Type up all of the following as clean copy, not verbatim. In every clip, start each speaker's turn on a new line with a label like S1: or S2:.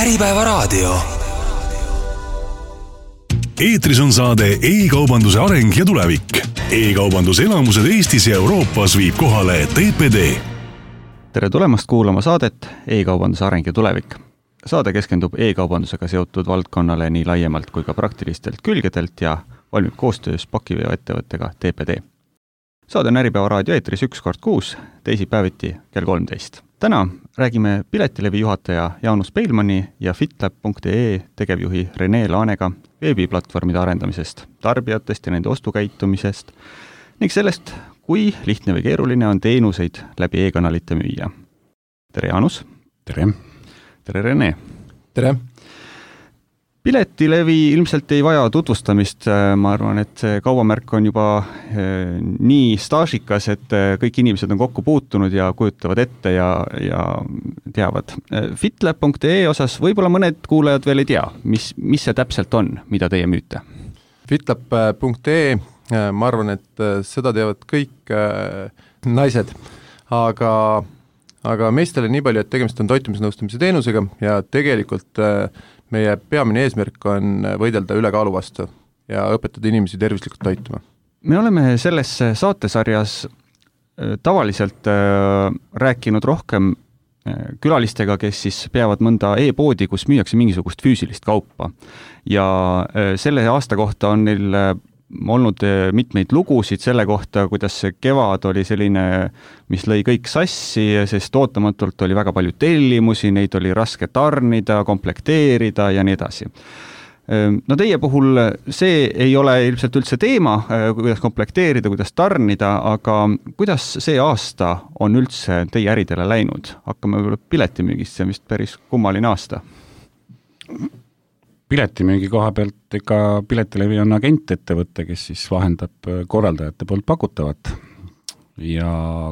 S1: Äripäevaraadio.
S2: Eetris on saade e-kaubanduse areng ja tulevik. E-kaubanduse elamused Eestis ja Euroopas viib kohale TPD.
S3: Tere tulemast kuulama saadet E-kaubanduse areng ja tulevik. Saade keskendub e-kaubandusega seotud valdkonnale nii laiemalt kui ka praktilistelt külgedelt ja valmib koostöös pakiveoettevõttega TPD. Saade on Äripäevaraadio eetris 1 kord kuus, teisipäeviti kell 13. Täna räägime Piletilevi juhataja Jaanus Peilmanni ja fitlab.ee tegevjuhi Rene Laanega veebiplatvormide arendamisest, tarbijatest ja nende ostukäitumisest ning sellest, kui lihtne või keeruline on teenuseid läbi e-kanalite müüa. Tere Jaanus!
S4: Tere!
S3: Tere Rene!
S4: Tere!
S3: Piletilevi ilmselt ei vaja tutvustamist, ma arvan, et see kaubamärk on juba nii staažikas, et kõik inimesed on kokku puutunud ja kujutavad ette ja teavad. Fitlab.ee osas võib-olla mõned kuulajad veel ei tea, mis see täpselt on, mida teie müüte?
S4: Fitlab.ee, ma arvan, et seda teavad kõik naised, aga meestele nii palju, et tegemist on toitumisnõustamise teenusega ja tegelikult meie peamine eesmärk on võidelda ülekaalu vastu ja õpetada inimesi tervislikult toituma.
S3: Me oleme selles saatesarjas tavaliselt rääkinud rohkem külalistega, kes siis peavad mõnda e-poodi, kus müüakse mingisugust füüsilist kaupa. Ja selle aasta kohta on neil olnud mitmeid lugusid selle kohta, kuidas see kevad oli selline, mis lõi kõik sassi, sest ootamatult oli väga palju tellimusi, neid oli raske tarnida, komplekteerida ja nii edasi. No teie puhul see ei ole ilmselt üldse teema, kuidas komplekteerida, kuidas tarnida, aga kuidas see aasta on üldse teie äridele läinud? Hakkame piletimüügist, see on vist päris kummaline aasta.
S4: Piletimüügi koha pealt, ega Piletilevi on agentettevõte, kes siis vahendab korraldajate poolt pakutavat ja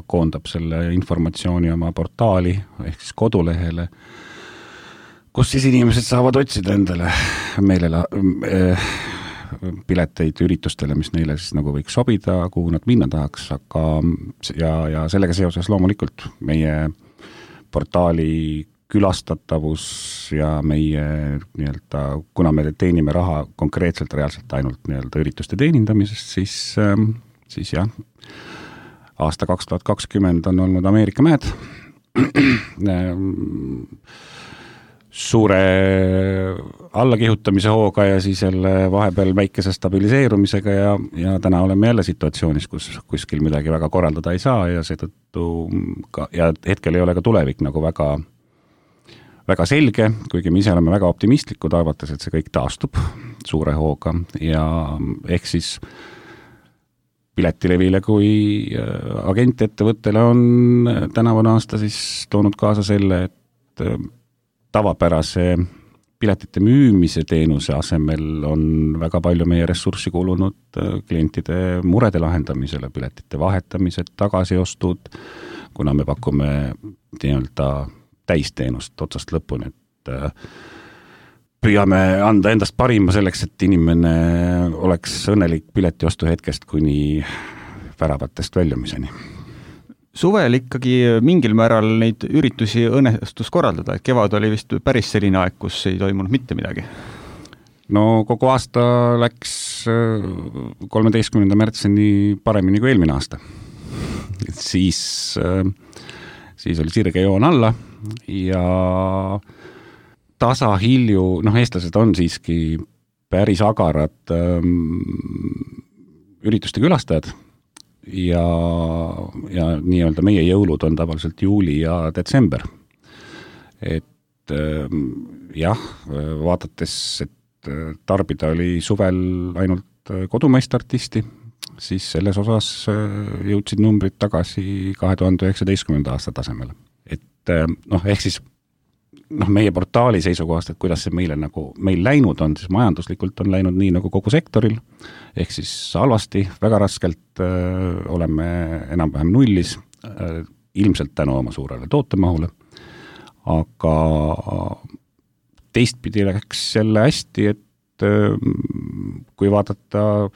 S4: koondab selle informatsiooni oma portaali ehk siis kodulehele, kus siis inimesed saavad otsida endale pileteid üritustele, mis neile siis nagu võiks sobida, kuhu nad minna tahaks, aga ja sellega seoses loomulikult meie portaali külastatavus ja meie kuna me teenime raha konkreetselt reaalselt ainult ürituste teenindamisest, siis jah, aasta 2020 on olnud Ameerika mäed suure allakihutamise hooga ja siis jälle vahepeal väikese stabiliseerumisega ja täna oleme jälle situatsioonis, kus kuskil midagi väga korraldada ei saa ja seetõttu ja hetkel ei ole ka tulevik nagu väga selge, kuigi me ise oleme väga optimistlikud, arvates, et see kõik taastub suure hooga ja ehk siis Piletilevile kui agentettevõttele on tänavune aasta siis toonud kaasa selle, et tavapärase piletite müümise teenuse asemel on väga palju meie ressurssi kulunud klientide murede lahendamisele, piletite vahetamised, tagasiostud, kuna me pakume täisteenust otsast lõpuni, et püüame anda endast parima selleks, et inimene oleks õnnelik piletiostu hetkest kuni väravatest väljumiseni.
S3: Suvel ikkagi mingil määral neid üritusi õnnestus korraldada, et kevad oli vist päris selline aeg, kus ei toimunud mitte midagi.
S4: No kogu aasta läks 13. märtsini paremini kui eelmine aasta. Siis oli sirge joon alla ja tasahilju, eestlased on siiski päris agarad ürituste külastajad ja nii-öelda meie jõulud on tavaliselt juuli ja detsember. Et jah, vaadates, et tarbida oli suvel ainult kodumaist artisti, siis selles osas jõudsid numbrid tagasi 2019. aasta tasemele. Et ehk siis meie portaali seisukohast, et kuidas see meil läinud on, siis majanduslikult on läinud nii nagu kogu sektoril, ehk siis halvasti, väga raskelt oleme enam-vähem nullis, ilmselt tänu oma suurele tootemahule, aga teistpidi läks jälle hästi, et kui vaadata,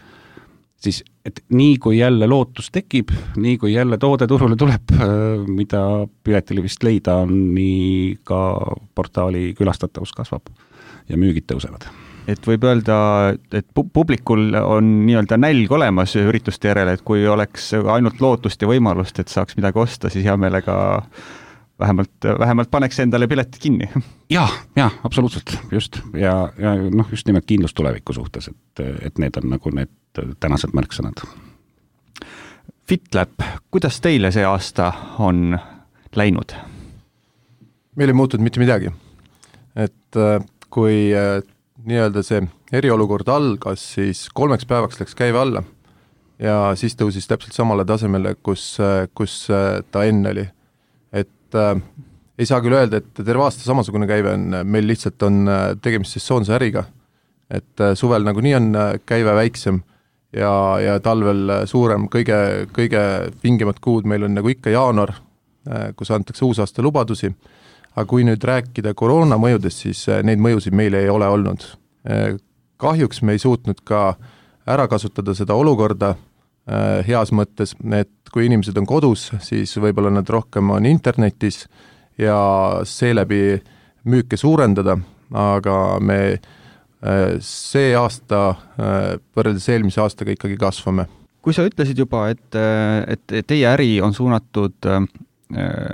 S4: siis et nii kui jälle lootus tekib, nii kui jälle toode turule tuleb, mida piletilevist leida on, nii ka portaali külastatavus kasvab ja müügid tõusevad.
S3: Et võib öelda, et publikul on nii-öelda nälg olemas ürituste järele, et kui oleks ainult lootust ja võimalust, et saaks midagi osta, siis hea meelega vähemalt paneks endale piletid kinni.
S4: Ja, absoluutselt, just. Ja just nimelt kindlus tuleviku suhtes, et need on nagu need tänased märksõnad.
S3: FitLab, kuidas teile see aasta on läinud?
S1: Meil ei muutunud mitte midagi. Et kui nii-öelda see eriolukord algas, siis 3 päevaks läks käive alla ja siis tõusis täpselt samale tasemele, kus ta enne oli. Ei saa küll öelda, et terve aasta samasugune käive on, meil lihtsalt on tegemist sesoonse äriga, et suvel nagunii on käive väiksem ja talvel suurem, kõige vingemad kuud meil on nagu ikka jaanuar, kus antakse uusaasta lubadusi, aga kui nüüd rääkida koroona mõjudest, siis neid mõjusid meil ei ole olnud. Kahjuks me ei suutnud ka ära kasutada seda olukorda heas mõttes, et kui inimesed on kodus, siis võib-olla nad rohkem on internetis ja seeläbi müüke suurendada, aga me see aasta võrreldes eelmise aastaga ikkagi kasvame.
S3: Kui sa ütlesid juba, et teie äri on suunatud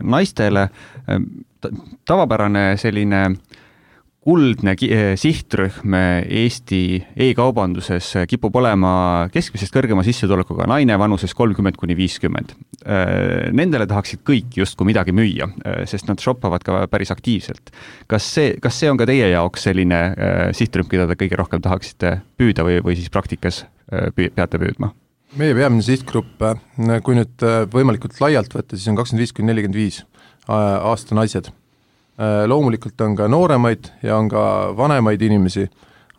S3: naistele, tavapärane selline kuldne sihtrühm Eesti e-kaubanduses kipub olema keskmisest kõrgema sissetulekuga naine vanuses 30–50. Nendele tahaksid kõik justkui midagi müüa, sest nad shoppavad ka päris aktiivselt. Kas see on ka teie jaoks selline sihtrühm, keda te kõige rohkem tahaksite püüda või siis praktikas peate püüdma?
S1: Meie peamine sihtgrupp, kui nüüd võimalikult laialt võtta, siis on 25–45 aasta naised. Loomulikult on ka nooremaid ja on ka vanemaid inimesi,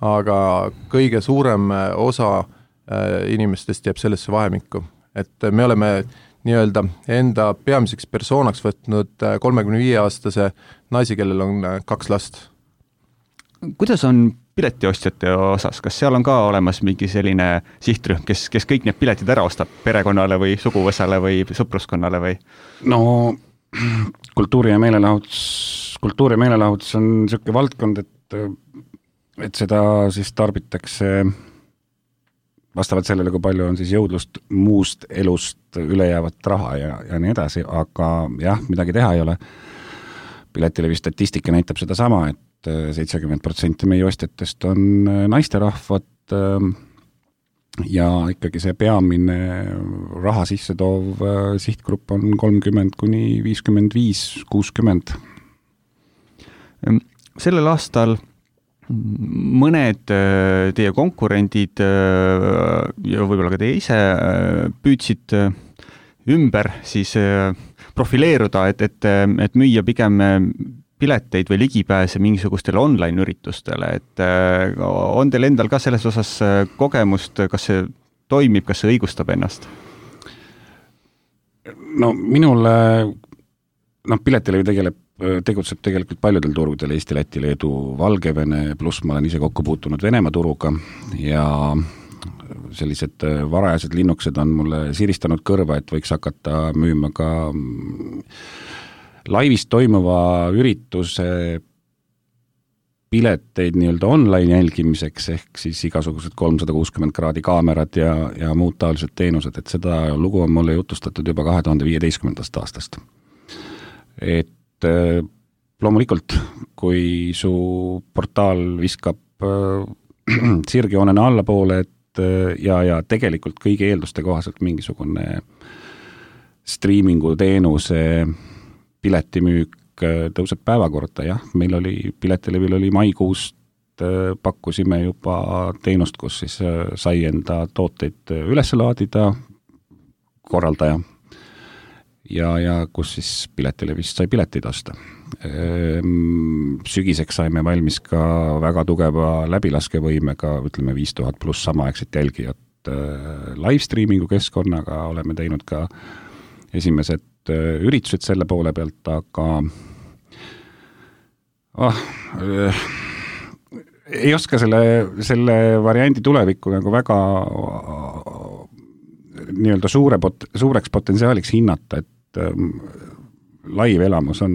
S1: aga kõige suurem osa inimestest jääb sellesse vahemikku. Et me oleme nii-öelda enda peamiseks persoonaks võtnud 35-aastase naisi, kellel on 2 last.
S3: Kuidas on piletiostjate osas? Kas seal on ka olemas mingi selline sihtrühm, kes kõik need piletid ära ostab perekonnale või suguvõsale või sõpruskonnale või?
S4: No kultuuri ja meelelahutus on niisugune valdkond, et seda siis tarbitakse vastavalt sellele, kui palju on siis jõudlust muust elust ülejäävat raha ja nii edasi, aga jah, midagi teha ei ole. Piletilevi statistika näitab seda sama, et 70% meie ostjatest on naisterahvad ja ikkagi see peamine raha sisse toov sihtgrupp on 30–55–60.
S3: Sellel aastal mõned teie konkurendid ja võib-olla ka teie ise püüdsid ümber siis profileeruda, et müüa pigem pileteid või ligipääse mingisugustele online-üritustele, et on teil endal ka selles osas kogemust, kas see toimib, kas see õigustab ennast?
S4: No minule, Piletilevi tegutseb tegelikult paljudel turgudel, Eesti, Läti, Leedu, Valgevene, pluss ma olen ise kokku puutunud Venemaa turuga ja sellised varajased linnukesed on mulle siristanud kõrva, et võiks hakata müüma ka laivis toimuva ürituse pileteid nii-öelda online jälgimiseks, ehk siis igasugused 360 kraadi kaamerad ja muud taolised teenused, et seda lugu on mulle jutustatud juba 2015. aastast. Et loomulikult, kui su portaal viskab sirgjoonena allapoole, ja tegelikult kõigi eelduste kohaselt mingisugune striimingu teenuse piletimüük tõuseb päevakorda, jah, meil oli, Piletilevil oli maikuust pakkusime juba teenust, kus siis sai enda tooteid üles laadida korraldaja ja kus siis Piletilevist sai piletid osta. Sügiseks saime valmis ka väga tugeva läbilaskevõimega, ütleme 5000 pluss samaaegset jälgijat live-streamingu keskkonnaga, oleme teinud ka esimesed üritused selle poole pealt, aga ei oska selle variandi tulevikku nagu väga nii-öelda suureks potentsiaaliks hinnata, et live elamus on,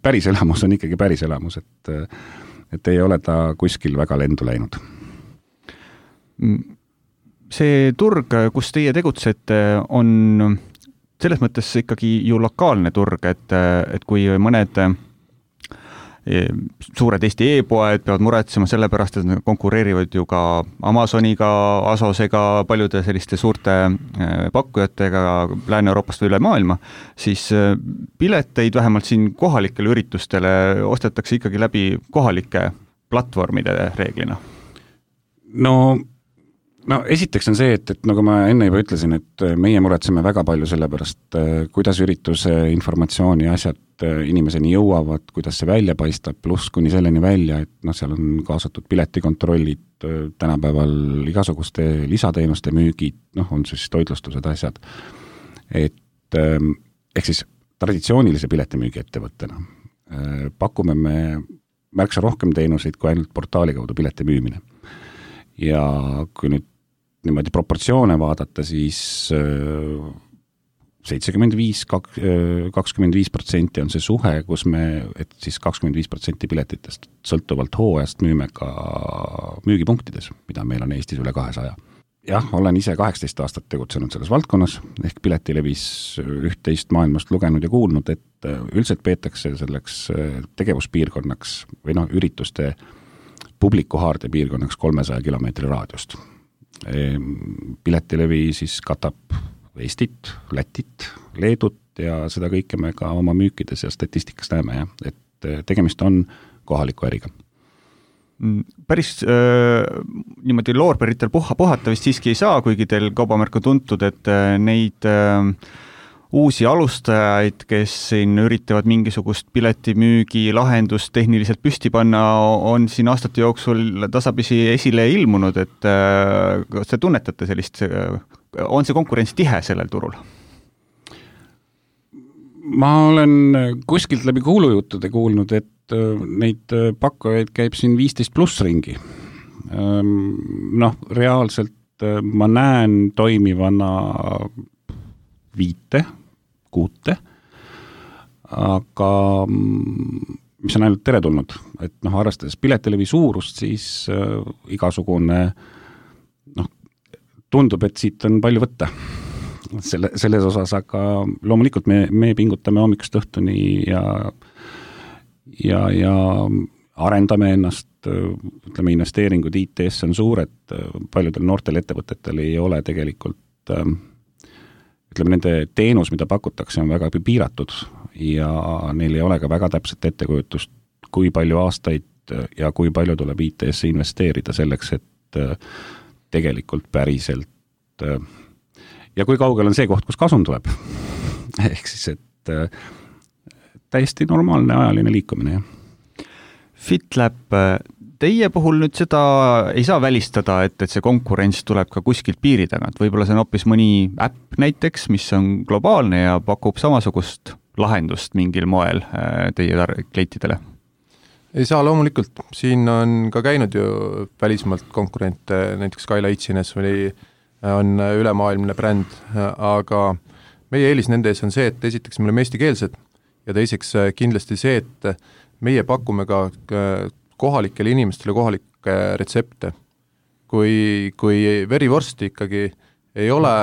S4: päris elamus on ikkagi päris elamus, et ei ole ta kuskil väga lendu läinud.
S3: See turg, kus teie tegutsete, on selles mõttes ikkagi ju lokaalne turg, et kui mõned suured Eesti e-poed peavad muretsema selle pärast, et nad konkureerivad ju ka Amazoniga, Asosega, paljude selliste suurte pakkujatega Lääne-Euroopast või üle maailma, siis pileteid vähemalt siin kohalikele üritustele ostetakse ikkagi läbi kohalike platvormide reeglina.
S4: No esiteks on see, et nagu ma enne juba ütlesin, et meie muretseme väga palju selle pärast, kuidas ürituse informatsiooni asjad inimeseni jõuavad, kuidas see välja paistab, pluss kuni selleni välja, et seal on kaasatud piletikontrollid, tänapäeval igasuguste lisateenuste müügid, on siis toitlustused asjad. Ehk siis traditsioonilise piletimüügi ettevõttena pakume me märksa rohkem teenuseid kui ainult portaali kaudu pileti müümine. Ja kui nüüd niimoodi proportsioone vaadata, siis 75% on see suhe, kus et siis 25% piletitest sõltuvalt hooajast müüme ka müügipunktides, mida meil on Eestis üle 200. Jah, olen ise 18 aastat tegutsenud selles valdkonnas, ehk piletilevis üht-teist maailmast lugenud ja kuulnud, et üldiselt peetakse selleks tegevuspiirkonnaks või ürituste publikuhaarde piirkonnaks 300 kilomeetri raadiost. Piletilevi siis katab Eestit, Lätit, Leedut ja seda kõike me ka oma müükides ja statistikas näeme, et tegemist on kohaliku äriga.
S3: Päris niimoodi loorberitel puhata vist siiski ei saa, kuigi teil kaubamärk on tuntud, et neid uusi alustajaid, kes siin üritavad mingisugust piletimüügi lahendust tehniliselt püsti panna, on siin aastate jooksul tasapisi esile ilmunud, et kas te tunnetate sellist, on see konkurents tihe sellel turul?
S4: Ma olen kuskilt läbi kuulujuttude kuulnud, et neid pakkujaid käib siin 15 pluss ringi. Reaalselt ma näen toimivana 5, 6, aga mis on ainult teretulnud, et arvestades piletilevi suurust, siis igasugune tundub, et siit on palju võtta selles osas, aga loomulikult me pingutame hommikust õhtuni ja arendame ennast, ütleme, investeeringud IT-sse on suured, paljudel noortel ettevõtetel ei ole tegelikult ütleme, nende teenus, mida pakutakse, on väga piiratud ja neil ei ole ka väga täpset ettekujutust, kui palju aastaid ja kui palju tuleb IT-sse investeerida selleks, et tegelikult päriselt ja kui kaugel on see koht, kus kasum tuleb. Ehk siis, et täiesti normaalne ajaline liikumine.
S3: FitLab, teie puhul nüüd seda ei saa välistada, et see konkurents tuleb ka kuskilt piiri tagant. Võib-olla see on hoopis mõni äpp näiteks, mis on globaalne ja pakub samasugust lahendust mingil moel teie klientidele?
S1: Ei saa loomulikult. Siin on ka käinud ju välismaalt konkurente, näiteks Skyla Itsines on ülemaailmne bränd, aga meie eelis nende ees on see, et esiteks me oleme eestikeelsed ja teiseks kindlasti see, et meie pakume ka kohalikele inimestele kohalikke retsepte. Kui verivorsti ikkagi ei ole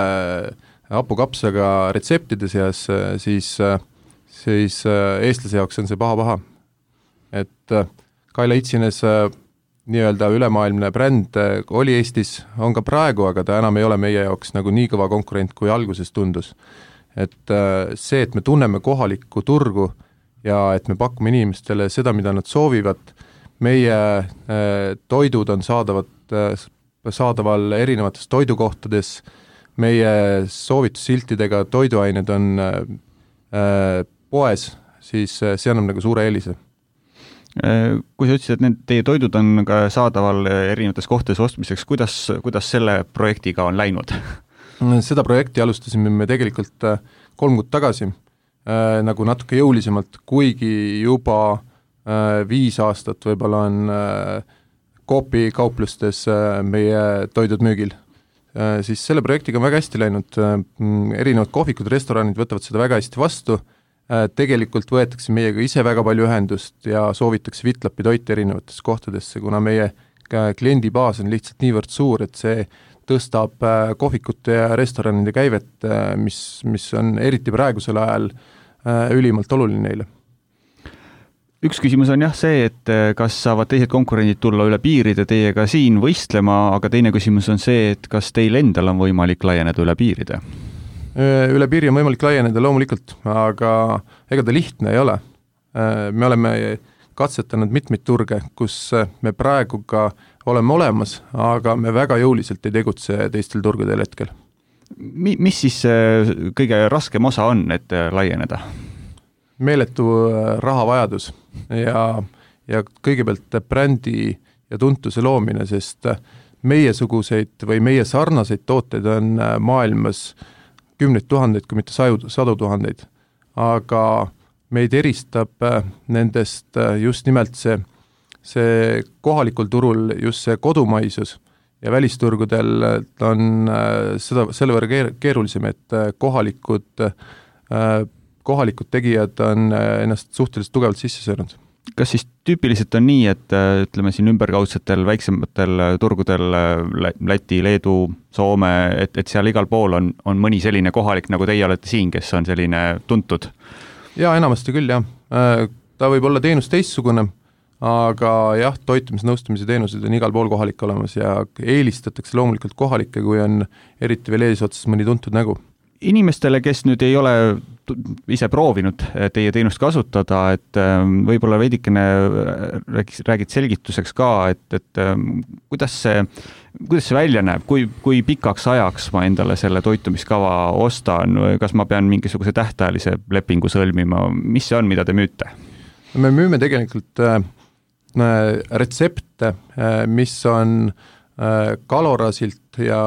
S1: hapukapsaga retseptide seas, siis eestlase jaoks on see paha. Et Skyla Itsines nii-öelda ülemaailmne bränd oli Eestis, on ka praegu, aga ta enam ei ole meie jaoks nagu nii kõva konkurent, kui alguses tundus. Et see, et me tunneme kohalikku turgu ja et me pakume inimestele seda, mida nad soovivad, meie toidud on saadaval erinevates toidukohtades, meie soovitussiltidega toiduained on poes, siis see annab nagu suure eelise.
S3: Kui sa ütlesid, et teie toidud on ka saadaval erinevates kohtades ostmiseks, kuidas selle projektiga on läinud?
S1: Seda projekti alustasime me tegelikult 3 kuud tagasi, nagu natuke jõulisemalt, kuigi juba 5 aastat võib-olla on Coopi kauplustes meie toidud müügil. siis selle projektiga on väga hästi läinud, erinevad kohvikud, restoranid võtavad seda väga hästi vastu, tegelikult võetakse meiega ise väga palju ühendust ja soovitakse Vitlapi toite erinevatesse kohtadesse, kuna meie kliendibaas on lihtsalt niivõrd suur, et see tõstab kohvikute ja restoranide käivet, mis on eriti praegusel ajal ülimalt oluline neile.
S3: Üks küsimus on jah see, et kas saavad teised konkurendid tulla üle piiride teiega siin võistlema, aga teine küsimus on see, et kas teil endal on võimalik laieneda üle piiride?
S1: Üle piiri on võimalik laieneda loomulikult, aga ega ta lihtne ei ole. Me oleme katsetanud mitmeid turge, kus me praegu ka oleme olemas, aga me väga jõuliselt ei tegutse teistel turgudel hetkel.
S3: Mis siis kõige raskem osa on, et laieneda?
S1: Meeletu rahavajadus ja kõigepealt brändi ja tuntuse loomine, sest meiesuguseid või meie sarnaseid tooteid on maailmas kümneid tuhandeid, kui mitte sadu tuhandeid, aga meid eristab nendest just nimelt see kohalikul turul just see kodumaisus ja välisturgudel on selle võrra keerulisem, et kohalikud tegijad on ennast suhteliselt tugevalt sisse söönud.
S3: Kas siis tüüpiliselt on nii, et ütleme siin ümberkaudsetel väiksematel turgudel Läti, Leedu, Soome, et seal igal pool on mõni selline kohalik, nagu teie olete siin, kes on selline tuntud?
S1: Jaa, enamasti küll, jah. Ta võib olla teenus teistsugune, aga jah, toitumisnõustamise teenused on igal pool kohalik olemas ja eelistatakse loomulikult kohalikke, kui on eriti veel eesotsas mõni tuntud nägu.
S3: Inimestele, kes nüüd ei ole ise proovinud teie teenust kasutada, et võib-olla veidikene räägid selgituseks ka, et kuidas see välja näeb, kui pikaks ajaks ma endale selle toitumiskava ostan, kas ma pean mingisuguse tähtajalise lepingu sõlmima, mis see on, mida te müüte?
S1: Me müüme tegelikult retsepte, mis on kalorasilt ja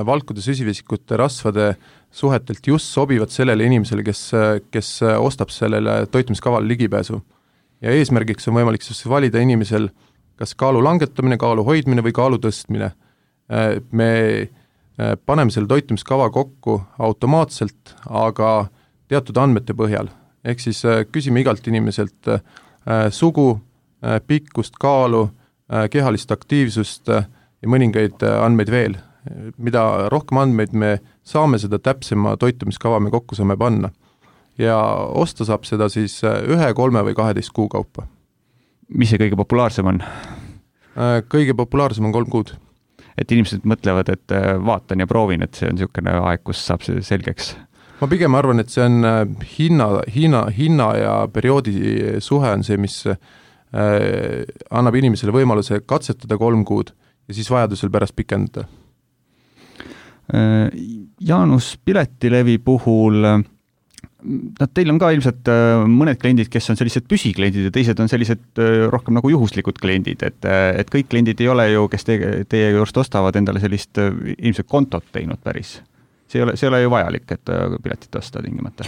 S1: valkude süsivesikute rasvade suhetelt just sobivad sellele inimesele, kes ostab sellele toitumiskavale ligipääsu. Ja eesmärgiks on võimalik siis valida inimesel kas kaalu langetamine, kaalu hoidmine või kaalu tõstmine. Me paneme selle toitumiskava kokku automaatselt, aga teatud andmete põhjal. Ehk siis küsime igalt inimeselt sugu, pikkust, kaalu, kehalist aktiivsust ja mõningaid andmeid veel. Mida rohkem andmeid me saame, seda täpsema toitumiskava me kokku saame panna. Ja osta saab seda siis 1, 3 või 12 kuu kaupa.
S3: Mis see kõige populaarsem on?
S1: Kõige populaarsem on 3 kuud.
S3: Et inimesed mõtlevad, et vaatan ja proovin, et see on niisugune aeg, kus saab see selgeks.
S1: Ma pigem arvan, et see on hinna ja perioodi suhe on see, mis annab inimesele võimaluse katsetada 3 kuud ja siis vajadusel pärast pikendada.
S3: Jaanus, Piletilevi puhul, teil on ka ilmselt mõned kliendid, kes on sellised püsikliendid ja teised on sellised rohkem nagu juhuslikud kliendid, et kõik kliendid ei ole ju, kes teie juurest ostavad endale sellist ilmselt kontot teinud päris. See ei ole ju vajalik, et piletit osta tingimata.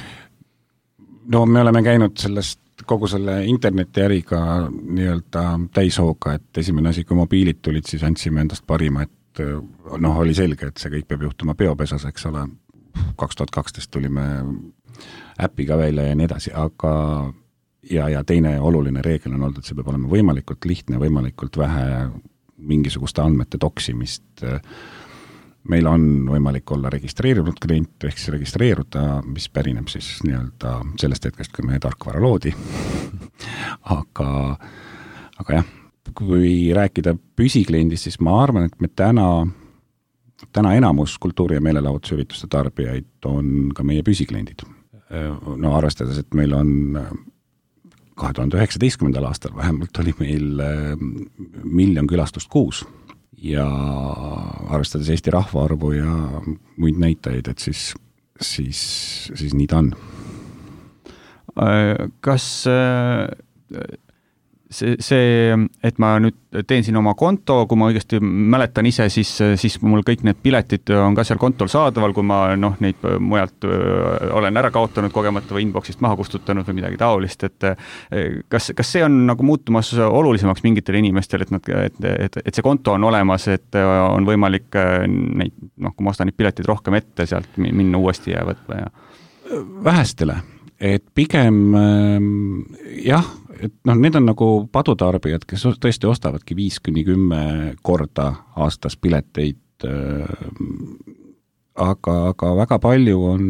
S4: No me oleme käinud kogu selle internetiäriga nii-öelda täishooga, et esimene asi, kui mobiilid tulid, siis andsime endast parima, et oli selge, et see kõik peab juhtuma peopesas, eks ole. 2012 tulime äpiga välja ja nii edasi, aga ja teine oluline reegel on olnud, et see peab olema võimalikult lihtne, võimalikult vähe mingisuguste andmete toksimist. Meil on võimalik olla registreerinud klient, ehk siis registreeruda, mis pärineb siis nii-öelda sellest hetkest, kui meie tarkvara loodi. aga jah, kui rääkida püsikliendist, siis ma arvan, et me täna enamus kultuuri- ja meelelahutusürituste tarbijaid on ka meie püsikliendid. No arvestades, et meil on 2019. aastal vähemalt oli meil 1 miljon külastust kuus ja arvestades Eesti rahvaarvu ja muid näitajaid, et siis nii ta on.
S3: Kas see, et ma nüüd teen siin oma konto, kui ma õigesti mäletan ise, siis mul kõik need piletid on ka seal kontol saadaval, kui ma neid mujalt olen ära kaotanud kogemata või inboxist maha kustutanud või midagi taolist, et kas see on nagu muutumas olulisemaks mingitele inimestele, et see konto on olemas, et on võimalik neid, kui ma ostan neid piletid rohkem ette, sealt minna uuesti ja võtma ja
S4: vähestele, et pigem jah, et need on nagu padutarbijad, kes tõesti ostavadki 5-10 korda aastas pileteid, aga väga palju on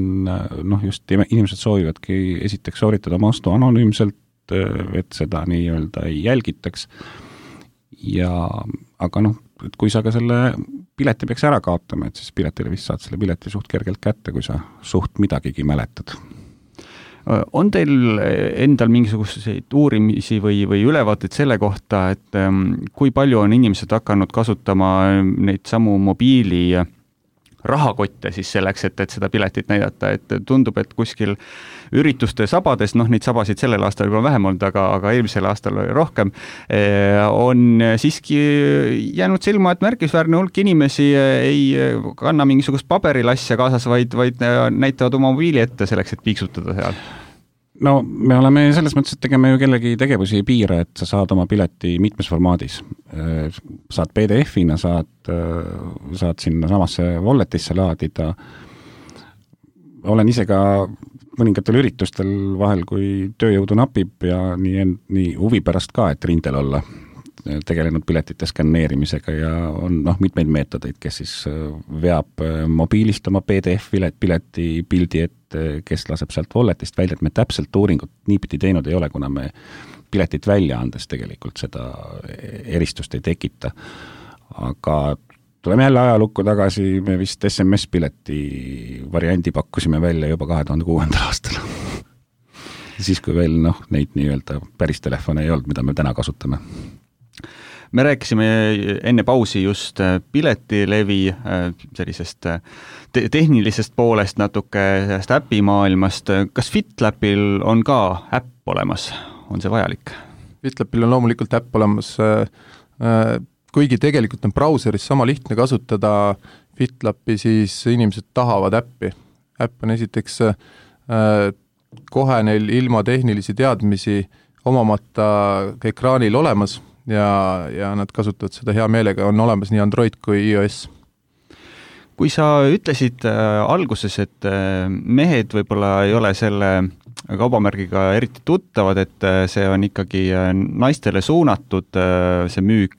S4: just inimesed soovivadki esiteks sooritada oma ostu anonüümselt, et seda nii-öelda ei jälgitaks aga et kui sa ka selle pileti peaks ära kaotama, et siis piletile vist saad selle pileti suht kergelt kätte, kui sa suht midagigi mäletad.
S3: On teil endal mingisuguseid uurimisi või ülevaateid selle kohta, et kui palju on inimesed hakanud kasutama neid samu mobiili rahakotte siis selleks, et seda piletit näidata, et tundub, et kuskil ürituste sabades, neid sabasid sellel aastal juba vähem olnud, aga eelmisel aastal oli rohkem, on siiski jäänud silma, et märkisväärne hulk inimesi ei kanna mingisugust paberilasja kaasas, vaid näitavad oma mobiili ette selleks, et piiksutada seal.
S4: No me oleme selles mõttes, et tegeme ju kellegi tegevusi ei piira, et sa saad oma pileti mitmes formaadis. Saad PDF-ina, saad sinna samasse walletisse laadida. Olen ise ka mõningatel üritustel vahel, kui tööjõudu napib ja nii huvi pärast ka, et rindel olla, tegelenud piletite skanneerimisega ja on mitmeid meetodeid, kes siis veab mobiilist oma PDF-pileti pildi ette, kes laseb sealt walletist välja, et me täpselt uuringut niipidi teinud ei ole, kuna me piletit välja andes tegelikult seda eristust ei tekita. Aga tuleme jälle ajalukku tagasi, me vist SMS-pileti variandi pakkusime välja juba 2006. aastal. Siis kui veel neid nii-öelda päris telefone ei olnud, mida me täna kasutame.
S3: Me rääkisime enne pausi just piletilevi sellisest tehnilisest poolest natuke sellest äpimaailmast. Kas FitLapil on ka äpp olemas? On see vajalik?
S1: FitLapil on loomulikult äpp olemas, kuigi tegelikult on brauseris sama lihtne kasutada FitLapi, siis inimesed tahavad äppi. Äpp on esiteks kohe neil ilma tehnilisi teadmisi omamata ekraanil olemas, ja nad kasutavad seda hea meelega, on olemas nii Android kui iOS.
S3: Kui sa ütlesid alguses, et mehed võib-olla ei ole selle kaubamärgiga eriti tuttavad, et see on ikkagi naistele suunatud, see müük,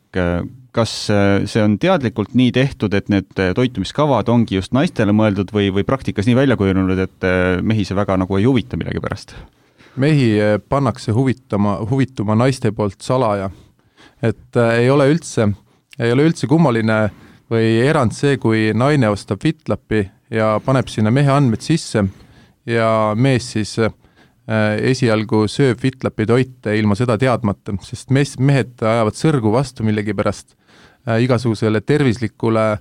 S3: kas see on teadlikult nii tehtud, et need toitumiskavad ongi just naistele mõeldud või praktikas nii välja kujunenud, et mehi see väga nagu ei huvita millegi pärast?
S1: Mehi pannakse huvituma naiste poolt salaja. Et ei ole üldse kummaline või erand see, kui naine ostab FitLapi ja paneb sinna mehe andmed sisse ja mees siis esialgu sööb FitLapi toite ilma seda teadmata, sest mehed ajavad sõrgu vastu millegi pärast igasugusele tervislikule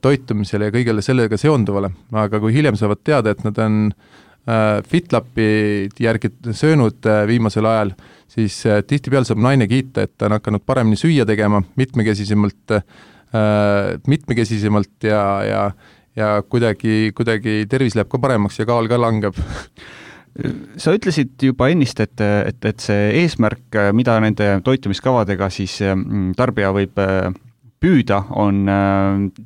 S1: toitumisele ja kõigele sellega seonduvale. Aga kui hiljem saavad teada, et nad on FitLapi järgi söönud viimasel ajal, siis tihtipeale saab naine kiita, et ta on hakanud paremini süüa tegema, mitmekesisemalt ja kuidagi tervis läheb ka paremaks ja kaal ka langeb.
S3: Sa ütlesid juba ennist, et see eesmärk, mida nende toitumiskavadega siis tarbija võib püüda, on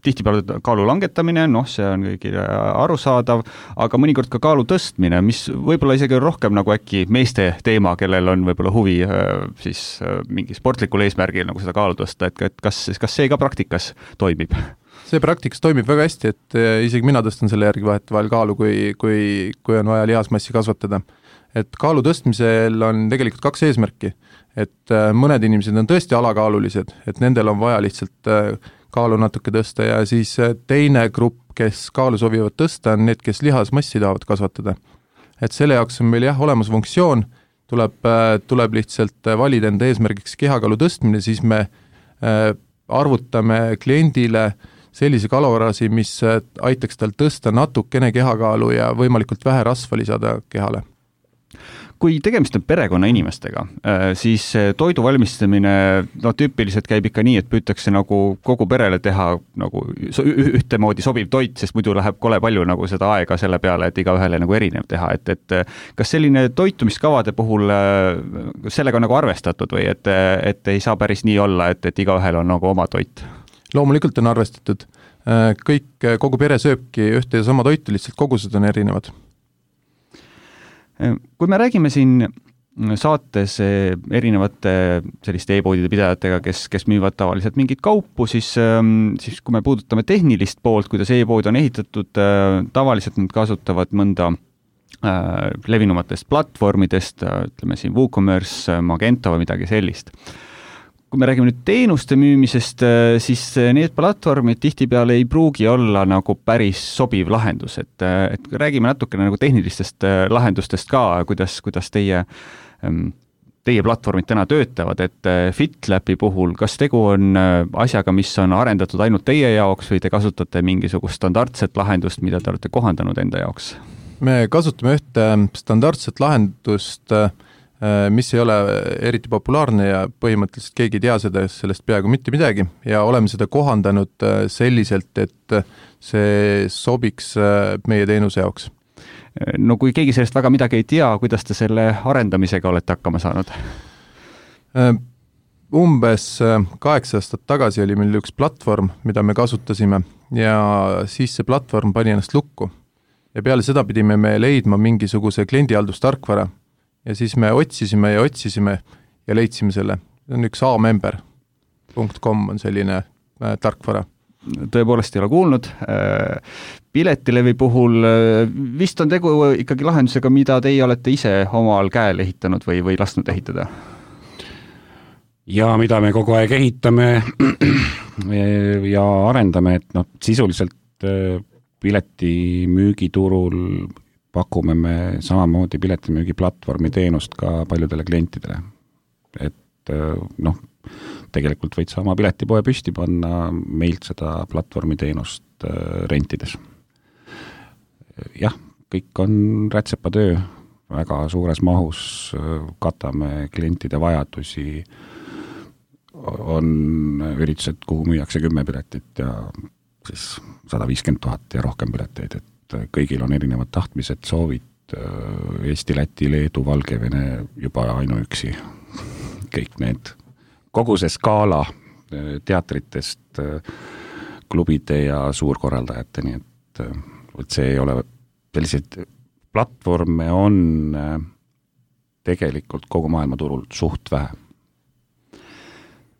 S3: tihtipeale kaalu langetamine, see on kõigile arusaadav, aga mõnikord ka kaalu tõstmine, mis võib-olla isegi rohkem nagu äkki meeste teema, kellel on võib-olla huvi siis mingi sportlikul eesmärgil nagu seda kaalu tõsta, et kas see ka praktikas toimib?
S1: See praktikas toimib väga hästi, et isegi mina tõstan selle järgi vahetevahel kaalu, kui on vaja lihasmassi kasvatada. Et kaalu tõstmisel on tegelikult 2 eesmärki. Et mõned inimesed on tõesti alakaalulised, et nendel on vaja lihtsalt kaalu natuke tõsta ja siis teine grupp, kes kaalu sobivad tõsta, on need, kes lihasmassi tahavad kasvatada. Et selle jaoks on meil olemas funktsioon, tuleb lihtsalt valida enda eesmärgiks kehakaalu tõstmine, siis me arvutame kliendile sellise kalorasi, mis aitaks tal tõsta natukene kehakaalu ja võimalikult vähe rasva lisada kehale.
S3: Kui tegemist on perekonna inimestega, siis toidu valmistamine tüüpiliselt käib ikka nii, et püütakse nagu kogu perele teha nagu ühtemoodi sobiv toit, sest muidu läheb kole palju nagu seda aega selle peale, et igaühele nagu erinev teha, et kas selline toitumiskavade puhul sellega on nagu arvestatud või et ei saa päris nii olla, et igaühel on nagu oma toit?
S1: Loomulikult on arvestatud. Kogu pere sööbki ühte ja sama toitu, lihtsalt kogused on erinevad.
S3: Kui me räägime siin saates erinevate selliste e-poodide pidajatega, kes müüvad tavaliselt mingit kaupu, siis kui me puudutame tehnilist poolt, kuidas e-pood on ehitatud, tavaliselt nad kasutavad mõnda levinumatest platvormidest, ütleme siin WooCommerce, Magento või midagi sellist. Kui me räägime nüüd teenuste müümisest, siis need platvormid tihtipeale ei pruugi olla nagu päris sobiv lahendus, et räägime natukene nagu tehnilistest lahendustest ka, kuidas teie platvormid täna töötavad, et FitLabi puhul, kas tegu on asjaga, mis on arendatud ainult teie jaoks või te kasutate mingisugust standardset lahendust, mida te olete kohandanud enda jaoks?
S1: Me kasutame ühte standardset lahendust, mis ei ole eriti populaarne ja põhimõtteliselt keegi ei tea sellest peaaegu mitte midagi ja oleme seda kohandanud selliselt, et see sobiks meie teenuse jaoks.
S3: No kui keegi sellest väga midagi ei tea, kuidas te selle arendamisega olete hakkama saanud?
S1: Umbes 8 aastat tagasi oli meil üks platvorm, mida me kasutasime ja siis see platvorm pani ennast lukku. Ja peale seda pidime me leidma mingisuguse kliendihaldustarkvara. Ja siis me otsisime ja leidsime selle. See on üks amember.com on selline tarkvara.
S3: Tõepoolest ei ole kuulnud. Piletilevi puhul vist on tegu ikkagi lahendusega, mida teie olete ise omal käel ehitanud või lasknud ehitada?
S4: Ja mida me kogu aeg ehitame ja arendame, et sisuliselt piletimüügiturul pakume me samamoodi piletimüügiplatvormi teenust ka paljudele klientidele. Et tegelikult võid sa oma piletipoe püsti panna meilt seda platvormi teenust rentides. Jah, kõik on rätsepatöö, väga suures mahus katame klientide vajadusi, on üritused, kuhu müüakse 10 piletit ja siis 150 000 ja rohkem pileteid, et kõigil on erinevad tahtmised, soovid, Eesti, Läti, Leedu, Valgevene juba ainuüksi. Kõik need, kogu see skaala teatritest, klubide ja suurkorraldajateni, et see ei ole, selliseid platvorme on tegelikult kogu maailmaturul suht vähe.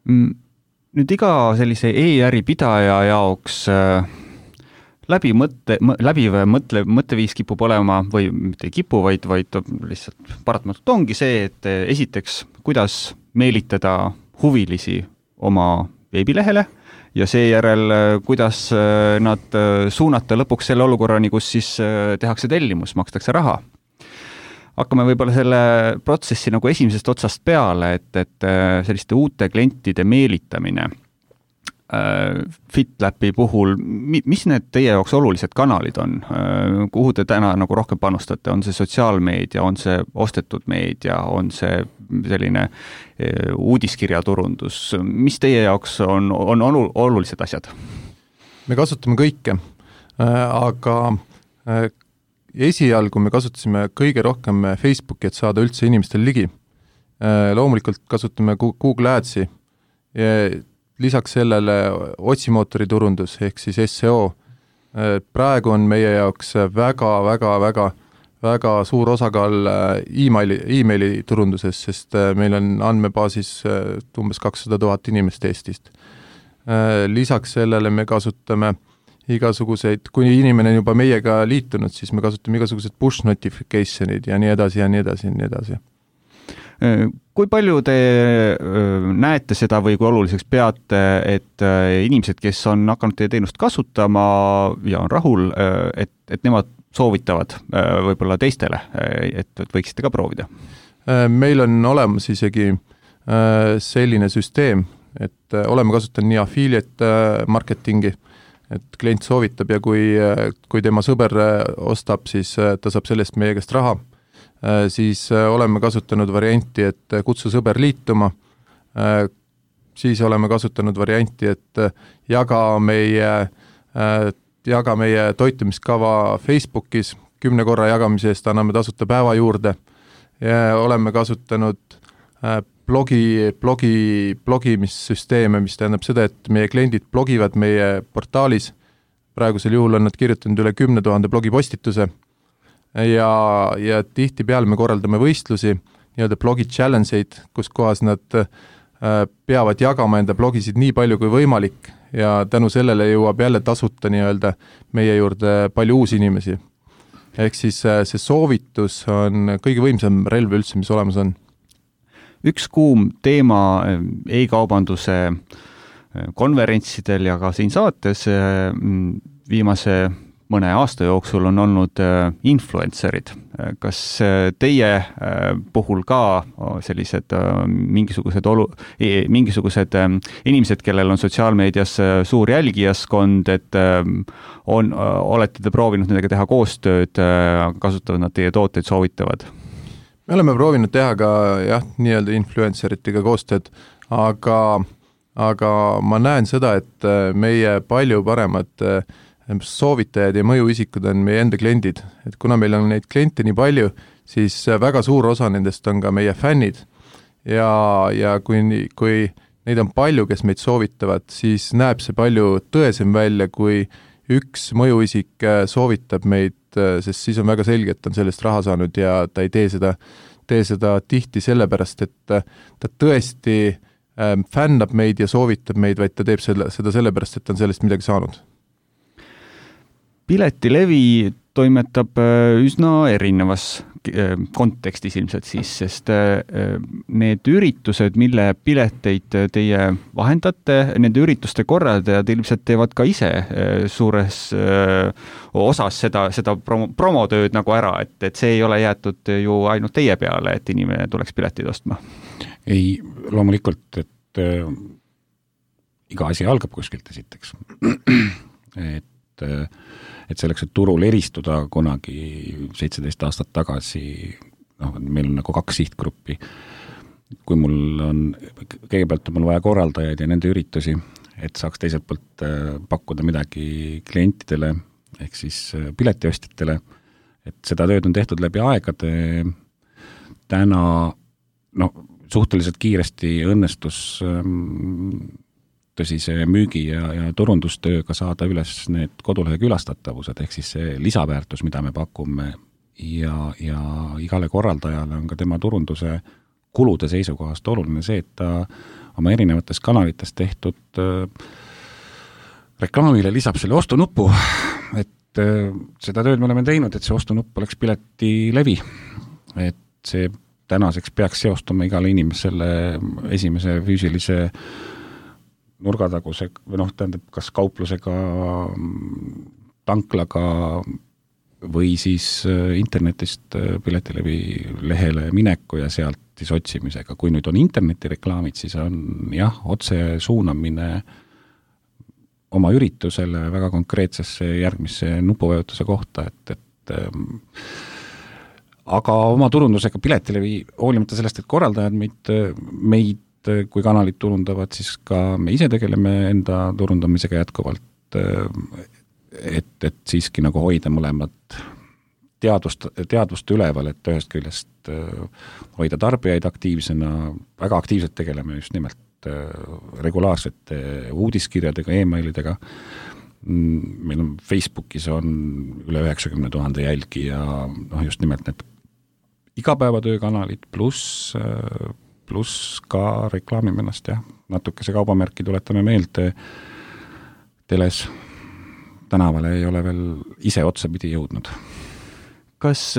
S3: Nüüd iga sellise e-äri pidaja jaoks mõtteviis kipub olema või mitte ei kipu, vaid lihtsalt paratamatult ongi see, et esiteks, kuidas meelitada huvilisi oma veebilehele ja seejärel, kuidas nad suunata lõpuks selle olukorrani, kus siis tehakse tellimus, makstakse raha. Hakkame võib-olla selle protsessi nagu esimesest otsast peale, et selliste uute klientide meelitamine FitLabi puhul, mis need teie jaoks olulised kanalid on? Kuhu te täna nagu rohkem panustate? On see sotsiaalmeedia, on see ostetud meedia, on see selline uudiskirjaturundus? Mis teie jaoks on olulised asjad?
S1: Me kasutame kõike, aga esialgu me kasutasime kõige rohkem Facebooki, et saada üldse inimestel ligi. Loomulikult kasutame Google Adsi ja lisaks sellele otsimootori turundus ehk siis SEO. Praegu on meie jaoks väga suur osakaal e-maili turunduses, sest meil on andmebaasis umbes 200 000 inimest Eestist. Lisaks sellele me kasutame igasuguseid, kui inimene on juba meiega liitunud, siis me kasutame igasugused push notificationid ja nii edasi ja nii edasi ja nii edasi.
S3: Kui palju te näete seda või kui oluliseks peate, et inimesed, kes on hakanud teie teenust kasutama ja on rahul, et nemad soovitavad võib-olla teistele, et võiksite ka proovida?
S1: Meil on olemas isegi selline süsteem, et oleme kasutanud nii affiliate marketingi, et klient soovitab ja kui tema sõber ostab, siis ta saab sellest meie käest raha. siis oleme kasutanud varianti, et kutsu sõber liituma, siis oleme kasutanud varianti, et jaga meie toitumiskava Facebookis, 10 korra jagamise eest anname tasuta päeva juurde ja oleme kasutanud blogimissüsteeme, mis tähendab seda, et meie kliendid blogivad meie portaalis, praegusel juhul on nad kirjutanud üle 10 000 blogipostituse ja tihtipeale me korraldame võistlusi, nii-öelda blogi challenge'id, kus kohas nad peavad jagama enda blogisid nii palju kui võimalik ja tänu sellele jõuab jälle tasuta nii-öelda meie juurde palju uusi inimesi. Ehk siis see soovitus on kõige võimsam relv üldse, mis olemas on.
S3: Üks kuum teema e-kaubanduse konverentsidel ja ka siin saates viimase mõne aasta jooksul on olnud influencerid. Kas teie puhul ka sellised mingisugused inimesed, kellel on sotsiaalmeedias suur jälgijaskond, et olete te proovinud nendega teha koostööd, kasutavad nad teie tooteid, soovitavad?
S1: Me oleme proovinud teha ka nii-öelda influenceritega koostööd, aga ma näen seda, et meie palju paremad soovitajad ja mõjuisikud on meie enda kliendid. Et kuna meil on neid kliente nii palju, siis väga suur osa nendest on ka meie fännid ja kui neid on palju, kes meid soovitavad, siis näeb see palju tõesem välja, kui üks mõjuisik soovitab meid, sest siis on väga selge, et ta on sellest raha saanud ja ta ei tee seda tihti sellepärast, et ta tõesti fännab meid ja soovitab meid, vaid ta teeb seda sellepärast, et ta on sellest midagi saanud.
S3: Piletilevi toimetab üsna erinevas kontekstis ilmselt siis, sest need üritused, mille pileteid teie vahendate, nende ürituste korraldajad ilmselt teevad ka ise suures osas seda promotööd nagu ära, et see ei ole jäetud ju ainult teie peale, et inimene tuleks piletid ostma.
S4: Ei, loomulikult, et iga asi algab kuskilt esiteks. Et selleks, et turul eristuda kunagi 17 aastat tagasi, meil on nagu 2 sihtgruppi. Kui mul on, kõigepealt on mul vaja korraldajaid ja nende üritusi, et saaks teiselt poolt pakkuda midagi klientidele, ehk siis piletiostjatele, et seda tööd on tehtud läbi aegade. Täna suhteliselt kiiresti õnnestus tõsise müügi ja turundustööga saada üles need kodulehe külastatavused, ehk siis see lisaväärtus, mida me pakume ja igale korraldajale on ka tema turunduse kulude seisukohast oluline see, et ta oma erinevates kanalites tehtud reklaamile lisab selle ostunupu, et seda tööd me oleme teinud, et see ostunupp oleks Piletilevi, et see tänaseks peaks seostuma igale inimesele esimese füüsilise nurgataguse, tähendab, kas kauplusega, tanklaga või siis internetist Piletilevi lehele mineku ja sealt siis otsimisega. Kui nüüd on internetireklaamid, siis on otse suunamine oma üritusele väga konkreetsesse järgmisse nupuvajutuse kohta, et aga oma turundusega Piletilevi, hoolimata sellest, et korraldajad meid kui kanalid turundavad, siis ka me ise tegeleme enda turundamisega jätkuvalt, et siiski nagu hoida mõlemad teadvust üleval, et ühest küljest hoida tarbijaid aktiivsena, väga aktiivselt tegeleme just nimelt regulaarsete uudiskirjadega, e-mailidega. Meil on Facebookis on üle 90 000 jälgi ja just nimelt need igapäevatöökanalid pluss ka reklaamime ennast, natukese kaubamärki tuletame meelde teles, tänavale ei ole veel ise otsapidi jõudnud.
S3: Kas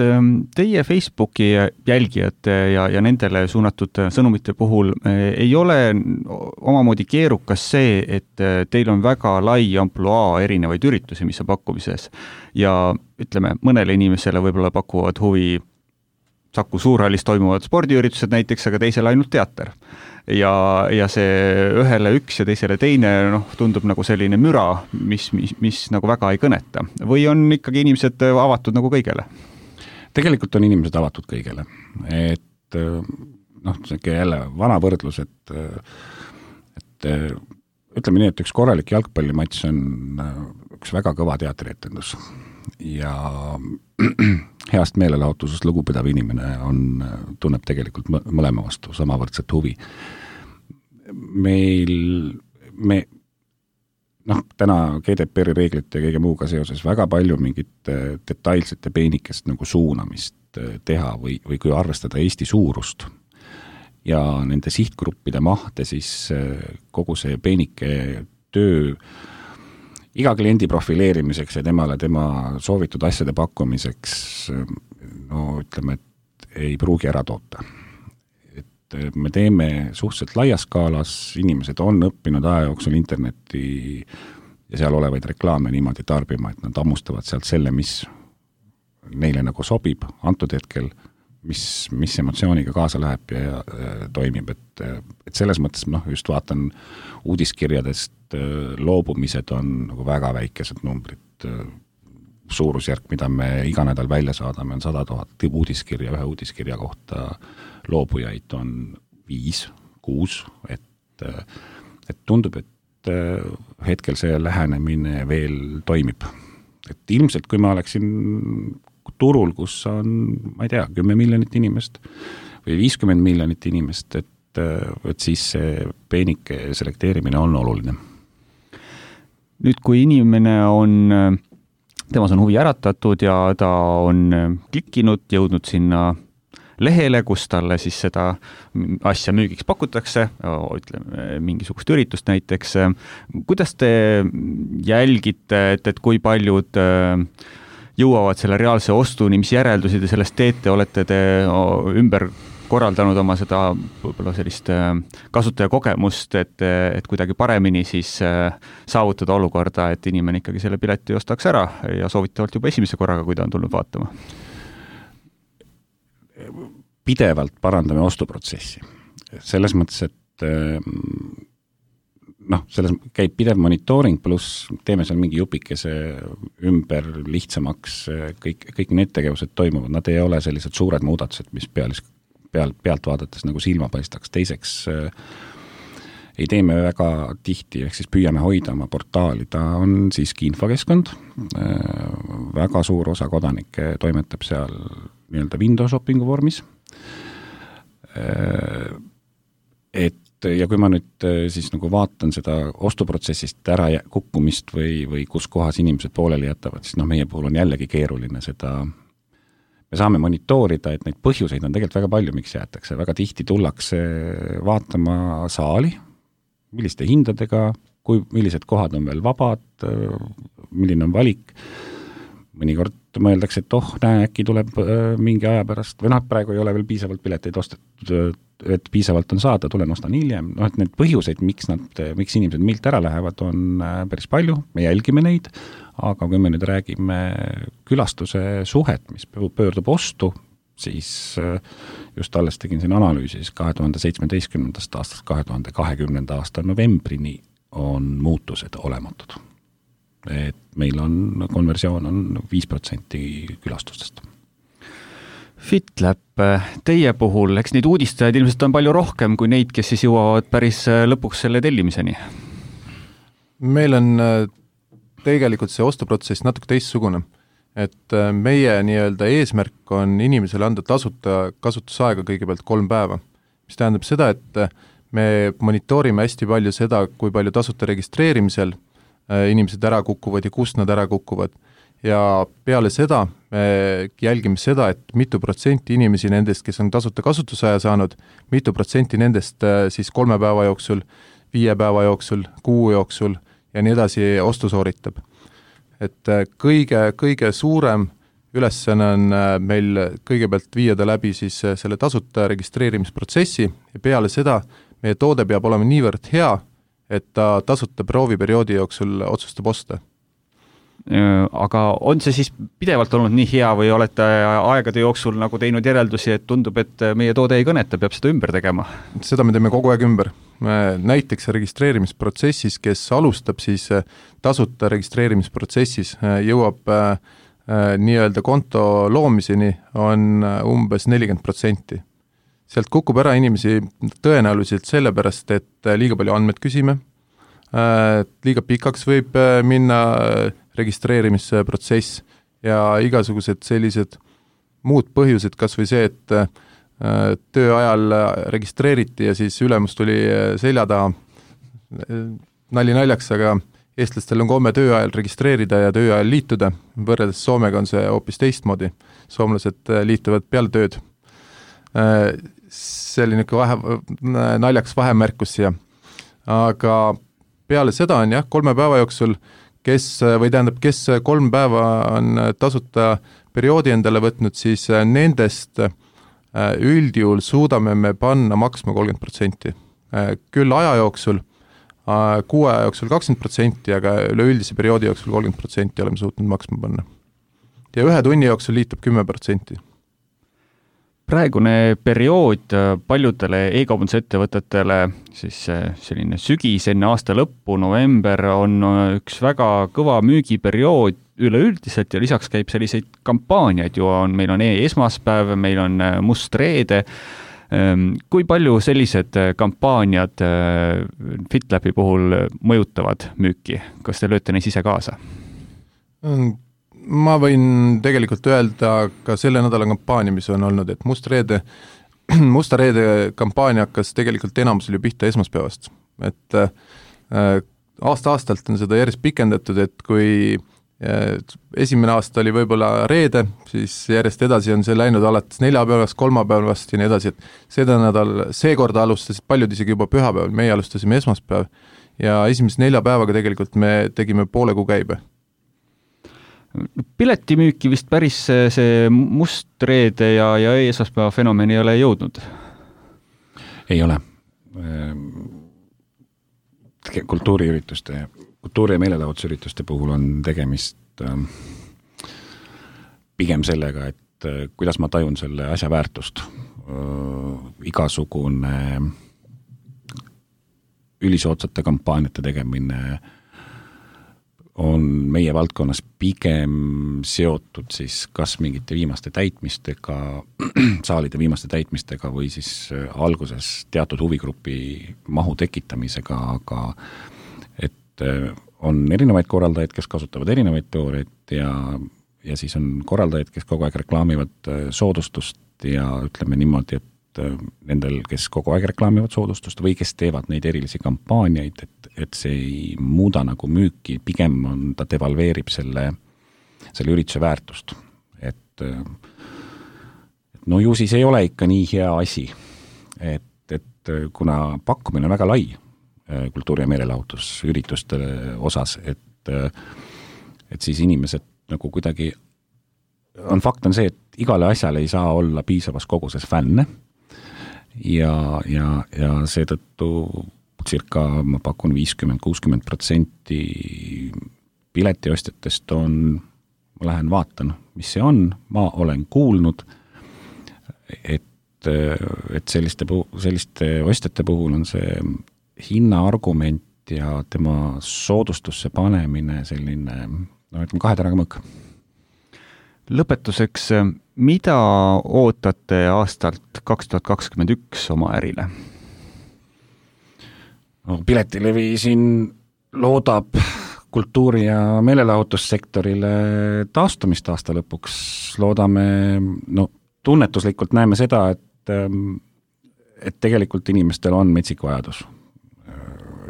S3: teie Facebooki jälgijate ja nendele suunatud sõnumite puhul ei ole omamoodi keerukas see, et teil on väga lai ampluaa erinevaid üritusi, mis on pakkumises ja ütleme, mõnele inimesele võib-olla pakuvad huvi Saku Suurhallis toimuvad spordiüritused näiteks, aga teisele ainult teater. Ja see ühele üks ja teisele teine tundub nagu selline müra, mis nagu väga ei kõneta. Või on ikkagi inimesed avatud nagu kõigele?
S4: tegelikult on inimesed avatud kõigele, et jälle vana võrdlus, et ütleme nii, et üks korralik jalgpallimatš on üks väga kõva teatrietendus ja heast meelelahutusest lugupidav inimene tunneb tegelikult mõlema vastu samavõrdset huvi. Täna GDPR-i reeglite ja kõige muuga seoses väga palju mingit detailsete peenikest nagu suunamist teha või kui arvestada Eesti suurust ja nende sihtgruppide mahte, siis kogu see peenike töö iga kliendi profileerimiseks ja temale tema soovitud asjade pakkumiseks, ütleme, et ei pruugi ära toota. Et me teeme suhteliselt laias skaalas, inimesed on õppinud aja jooksul interneti ja seal olevaid reklaame niimoodi tarbima, et nad ammustavad sealt selle, mis neile nagu sobib antud hetkel, mis emotsiooniga kaasa läheb ja toimib, et selles mõttes just vaatan uudiskirjadest loobumised on nagu väga väikesed numbrid, suurusjärk, mida me iga nädal välja saadame, on 100 000 uudiskirja, ühe uudiskirja kohta loobujaid on 5-6, et tundub, et hetkel see lähenemine veel toimib. Et ilmselt, kui ma oleksin turul, kus on, ma ei tea, 10 miljonit inimest või 50 miljonit inimest, et siis see peenike selekteerimine on oluline.
S3: Nüüd, kui inimene temas on huvi äratatud ja ta on klikkinud, jõudnud sinna lehele, kus talle siis seda asja müügiks pakutakse, ütleme, mingisugust üritust näiteks. Kuidas te jälgite, et kui paljud jõuavad selle reaalse ostuni, mis järeldusi te sellest teete, olete te ümber korraldanud oma seda võib-olla sellist kasutajakogemust, et kuidagi paremini siis saavutada olukorda, et inimene ikkagi selle pileti ostaks ära ja soovitavalt juba esimese korraga, kui ta on tulnud vaatama?
S4: Pidevalt parandame ostuprotsessi. Selles mõttes, et selles käib pidev monitooring, pluss teeme seal mingi jupikese ümber lihtsamaks, kõik need tegevused toimuvad, nad ei ole sellised suured muudatused, mis pealt vaadates nagu silma paistaks. Teiseks ei teeme väga tihti, ehk siis püüame hoida oma portaali, ta on siiski infokeskkond, väga suur osa kodanikke toimetab seal nii-öelda window shoppingu vormis, ja kui ma nüüd siis nagu vaatan seda ostuprotsessist ära kukkumist või kus kohas inimesed pooleli jätavad, siis meie puhul on jällegi keeruline seda, me saame monitoorida, et neid põhjuseid on tegelikult väga palju, miks jäetakse. Väga tihti tullakse vaatama saali, milliste hindadega, millised kohad on veel vabad, milline on valik. Mõnikord mõeldakse, et äkki tuleb mingi aja pärast, või praegu ei ole veel piisavalt pileteid ostetud, et piisavalt on saada, tulen ostan hiljem. Et need põhjuseid, miks inimesed meilt ära lähevad, on päris palju, me jälgime neid, aga kui me nüüd räägime külastuse suhet, mis pöördub ostu, siis just alles tegin siin analüüsis 2017. aastast 2020. aasta novembrini on muutused olematud. Et meil konversioon on 5% külastustest.
S3: FitLab, teie puhul, eks neid uudistajaid ilmselt on palju rohkem kui neid, kes siis jõuavad päris lõpuks selle tellimiseni?
S1: Meil on tegelikult see ostuprotsess natuke teistsugune. Et meie nii-öelda eesmärk on inimesele anda tasuta kasutusaega kõigepealt 3 päeva, mis tähendab seda, et me monitoorime hästi palju seda, kui palju tasuta registreerimisel inimesed ära kukuvad ja kust nad ära kukuvad. Ja peale seda me jälgime seda, et mitu protsenti inimesi nendest, kes on tasuta kasutusaja saanud, mitu protsenti nendest siis 3 päeva jooksul, 5 päeva jooksul, 6 jooksul ja nii edasi ostu sooritab. Et kõige suurem ülesanne on meil kõigepealt viida läbi siis selle tasuta registreerimisprotsessi ja peale seda meie toode peab olema niivõrd hea, et ta tasuta prooviperioodi jooksul otsustab osta.
S3: Aga on see siis pidevalt olnud nii hea või olete aegade jooksul nagu teinud järeldusi, et tundub, et meie toode ei kõneta, peab seda ümber tegema?
S1: Seda me teeme kogu aeg ümber. Näiteks registreerimisprotsessis, kes alustab siis tasuta registreerimisprotsessis, jõuab nii-öelda konto loomiseni on umbes 40%. Sealt kukub ära inimesi tõenäoliselt sellepärast, et liiga palju andmed küsime, liiga pikaks võib minna registreerimisprotsess ja igasugused sellised muud põhjused, kas või see, et töö ajal registreeriti ja siis ülemus tuli selja taha, nali naljaks, aga eestlastel on komme töö ajal registreerida ja töö ajal liituda, võrreldes Soomega on see hoopis teistmoodi, soomlased liituvad peale tööd. See oli naljaks vahemärkus siia, aga peale seda on 3 päeva jooksul, kes 3 päeva on tasuta perioodi endale võtnud, siis nendest üldjuhul suudame me panna maksma 30%. Küll aja jooksul, 6 aja jooksul 20%, aga üleüldise perioodi jooksul 30% oleme suutnud maksma panna. Ja 1 tunni jooksul liitub 10%.
S3: Praegune periood paljudele e-kaubandusettevõtetele, siis selline sügis enne aasta lõppu, november, on üks väga kõva müügiperiood üleüldiselt ja lisaks käib selliseid kampaaniaid ju on, meil on esmaspäev, meil on must reede. Kui palju sellised kampaaniad FitLabi puhul mõjutavad müüki? Kas te lööte neis ise kaasa?
S1: Ma võin tegelikult öelda ka selle nädala kampaania, mis on olnud, et Musta reede kampaania hakkas tegelikult enamusel ju pihta esmaspäevast. Et aasta-aastalt on seda järjest pikendatud, et kui esimene aasta oli võib-olla reede, siis järjest edasi on see läinud alates 4 päevast, 3 päevast ja nii edasi, et seekord alustasid paljud isegi juba pühapäeval, meie alustasime esmaspäev ja esimese 4 päevaga tegelikult me tegime poole kuu käibe.
S3: Piletimüüki vist päris see must reede ja esmaspäeva fenomen ei ole jõudnud?
S4: Ei ole. Kultuuri- ja meelelahutusürituste puhul on tegemist pigem sellega, et kuidas ma tajun selle asja väärtust. Igasugune ülisootsate kampaaniate tegemine on meie valdkonnas pigem seotud siis kas mingite viimaste täitmistega, saalide viimaste täitmistega või siis alguses teatud huvigrupi mahu tekitamisega, aga et on erinevaid korraldajaid, kes kasutavad erinevaid teooriaid ja siis on korraldajaid, kes kogu aeg reklaamivad soodustust ja ütleme niimoodi, et nendel, kes kogu aeg reklaamivad soodustust või kes teevad neid erilisi kampaaniaid, et see ei muuda nagu müüki, pigem ta devalveerib selle ürituse väärtust. Et no ju siis ei ole ikka nii hea asi, et kuna pakkumine on väga lai kultuuri- ja meelelahutusürituste osas, et siis inimesed nagu kuidagi fakt on see, et igale asjale ei saa olla piisavas koguses fänne, ja seetõttu ma pakun 50-60% piletiostjatest ma lähen vaatan, mis see on, ma olen kuulnud, et selliste ostjate puhul on see hinnaargument ja tema soodustusse panemine selline, ütleme 2 teraga mõõk.
S3: Lõpetuseks, mida ootate aastalt 2021 oma ärile?
S4: Piletilevi siin loodab kultuuri- ja meelelahutussektorile taastumist aasta lõpuks. Loodame, tunnetuslikult näeme seda, et tegelikult inimestel on metsik vajadus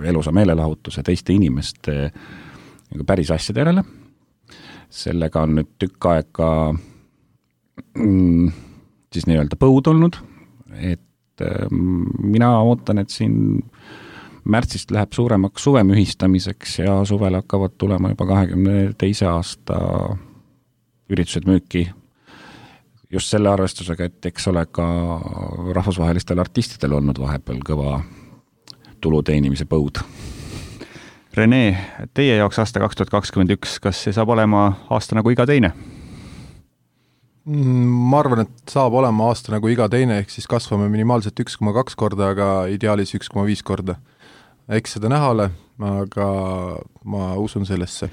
S4: elusa meelelahutuse teiste inimeste päris asjade järele. Sellega on nüüd tükk aega siis nii-öelda põud olnud, et mina ootan, et siin märtsist läheb suuremaks suvemühistamiseks ja suvel hakkavad tulema juba 2022. aasta üritused müüki just selle arvestusega, et eks ole ka rahvusvahelistel artistidel olnud vahepeal kõva tulu teenimise põud.
S3: Rene, teie jaoks aasta 2021, kas see saab olema aasta nagu iga teine?
S1: Ma arvan, et saab olema aasta nagu iga teine, ehk siis kasvame minimaalselt 1,2 korda, aga ideaalis 1,5 korda. Eks seda näha ole, aga ma usun sellesse.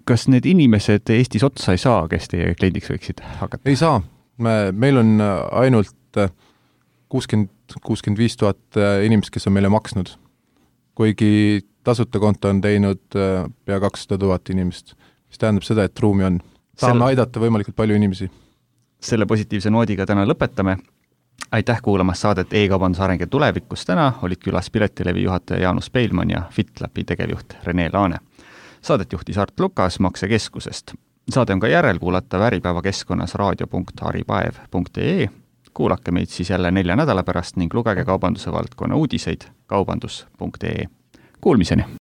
S3: kas need inimesed Eestis otsa ei saa, kes teie kliendiks võiksid hakata?
S1: Ei saa, meil on ainult 65 000 inimest, kes on meile maksnud, kuigi tasuta konto on teinud pea 200 000 inimest, mis tähendab seda, et ruumi on. Tahame aidata võimalikult palju inimesi.
S3: Selle positiivse noodiga täna lõpetame. Aitäh kuulamas saadet E-kaubanduse areng ja tulevikus. Täna olid külas Piletilevi juhataja Jaanus Peilmann ja FitLabi tegevjuht Rene Laane. Saadet juhtis Art Lukas Maksekeskusest. Saade on ka järelkuulatav Äripäeva keskkonnas raadio.haripaev.ee. Kuulake meid siis jälle 4 nädala pärast ning lugege kaubanduse valdkonna uudiseid kaubandus.ee. Kuulmiseni!